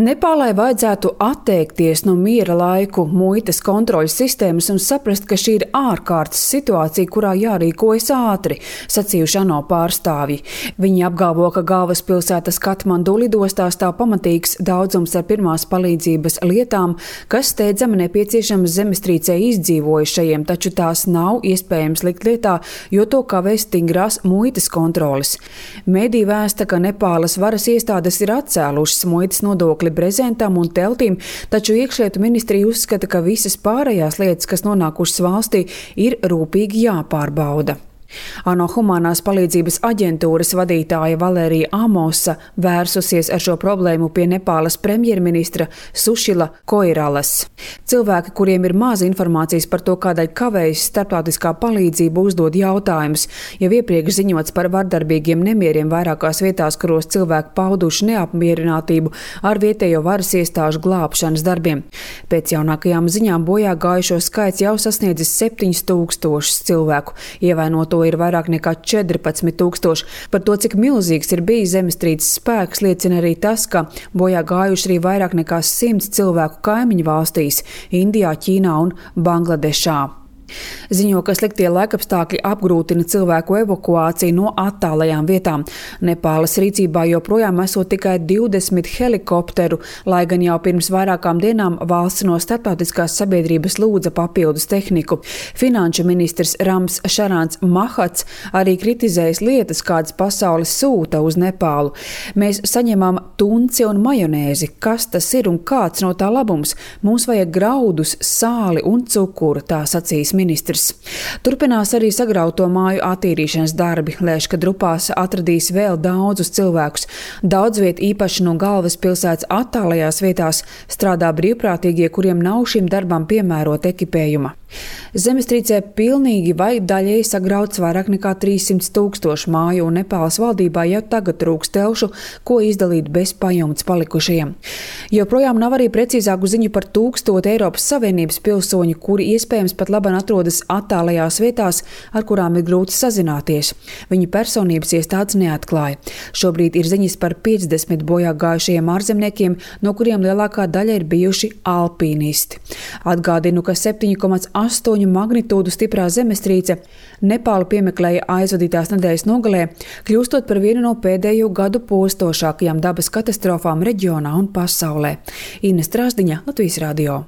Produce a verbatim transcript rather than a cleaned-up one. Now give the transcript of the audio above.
Nepālai vajadzētu atteikties no miera laiku muitas kontroļas sistēmas un saprast, ka šī ir ārkārtas situācija, kurā jārīkojas ātri, sacījuši ANO pārstāvji. Viņi apgalvo, ka galvaspilsētas Katmandu lidostā stāv pamatīgs daudzums ar pirmās palīdzības lietām, kas steidzami nepieciešamas zemestrīcē izdzīvojušajiem, taču tās nav iespējams likt lietā, jo to kavē stingrās muitas kontroles. Mēdī vēsta, ka Nepālas varas iestādes ir atcēlušas muitas nodokli brezentam un teltīm, taču iekšlietu ministrija uzskata, ka visas pārējās lietas, kas nonākušas valstī, ir rūpīgi jāpārbauda. ANO humanās palīdzības aģentūras vadītāja Valērija Amosa vērsusies ar šo problēmu pie Nepālas premjerministra Sušila Koiralas. Cilvēki, kuriem ir maz informācijas par to, kādēļ kavējas starptautiskā palīdzība, uzdod jautājumus, jau iepriekš ziņots par vardarbīgiem nemieriem vairākās vietās, kuros cilvēki pauduši neapmierinātību ar vietējo varas iestāžu glābšanas darbiem. Pēc jaunākajām ziņām bojā gājušo skaits jau sasniedzis septiņus tūkstošus cilvēku, ievainoto ir vairāk nekā četrpadsmit tūkstoši. Par to, cik milzīgs ir bijis zemestrīces spēks, liecina arī tas, ka bojā gājuši arī vairāk nekā simts cilvēku kaimiņu valstīs – Indijā, Ķīnā un Bangladešā. Ziņo, ka sliktie laikapstākļi apgrūtina cilvēku evakuāciju no attālajām vietām. Nepālas rīcībā joprojām esot tikai divdesmit helikopteru, lai gan jau pirms vairākām dienām valsts no starptautiskās sabiedrības lūdza papildus tehniku. Finanšu ministrs Rams Šarāns Mahats arī kritizējas lietas, kādas pasaules sūta uz Nepālu. Mēs saņemam tunci un majonēzi. Kas tas ir un kāds no tā labums? Mums vajag graudus, sāli un cukuru, tā sacīs ministrs. Turpinās arī sagrauto māju attīrīšanas darbi. Lēš, ka Drupās atradīs vēl daudzus cilvēkus. Daudz viet īpaši no galvaspilsētas attālajās vietās strādā brīvprātīgie, kuriem nav šim darbam piemērot ekipējuma. Zemestrīcē pilnīgi vai daļēji sagrauts vairāk nekā trīssimt tūkstoši māju, un Nepālas valdībā jau tagad trūks telšu, ko izdalīt bez pajumtes palikušajiem. Joprojām nav arī precīzāku ziņu par tūkstoti Eiropas Savienības pilsoņu, kuri iespējams pat labāk atrodas attālajās vietās, ar kurām ir grūti sazināties. Viņu personības iestādes neatklāja. Šobrīd ir ziņas par piecdesmit bojā gājušajiem ārzemniekiem, no kuriem lielākā daļa ir bijuši alpīnisti. Atgādinu, ka septiņi komats astoņu magnitūdu stiprā zemestrīce Nepālu piemeklēja aizvadītās nedēļas nogalē, kļūstot par vienu no pēdējo gadu postošākajām dabas katastrofām reģionā un pasaulē. Ines Trāsdiņa, Latvijas radio.